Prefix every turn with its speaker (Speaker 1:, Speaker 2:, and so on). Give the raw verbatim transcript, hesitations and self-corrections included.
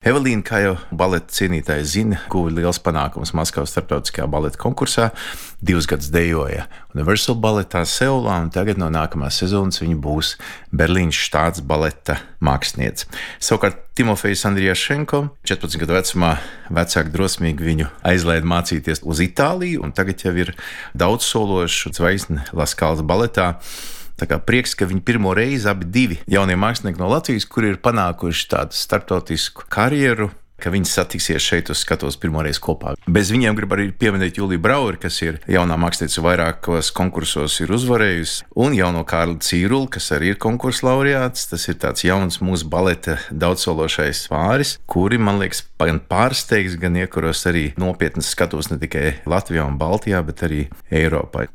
Speaker 1: Evelīna, kā jau baleta cienītāji zina, guva liels panākums Maskavas starptautiskajā baleta konkursā. Divus gadus dejoja Universal baletā Seulā, un tagad no nākamās sezonas viņa būs Berlīnas štāts baleta māksliniece. Savukārt Timofejs Andrijašenko četrpadsmit gadu vecumā vecāki drosmīgi viņu aizlaida mācīties uz Itāliju, un tagad jau ir daudz sološu zvaigzne Laskalas baletā. Tā kā prieks, ka viņi pirmo reizi abi divi jaunie mākslinieki no Latvijas, kuri ir panākuši tādu starptautisku karjeru, ka viņi satiksies šeit uz skatuves pirmoreiz kopā. Bez viņiem grib arī pieminēt Juliju Brauri, kas ir jaunā mākslinieca vairākos konkursos ir uzvarējusi, un jauno Kārli Cīruli, kas arī ir konkursu laureāts. Tas ir tāds jauns mūsu baleta daudzsološais pāris, kuri, man liekas, gan pārsteigs, gan iekuros arī nopietnas skatuves ne tikai Latvijā un Baltijā, bet arī Eiropā.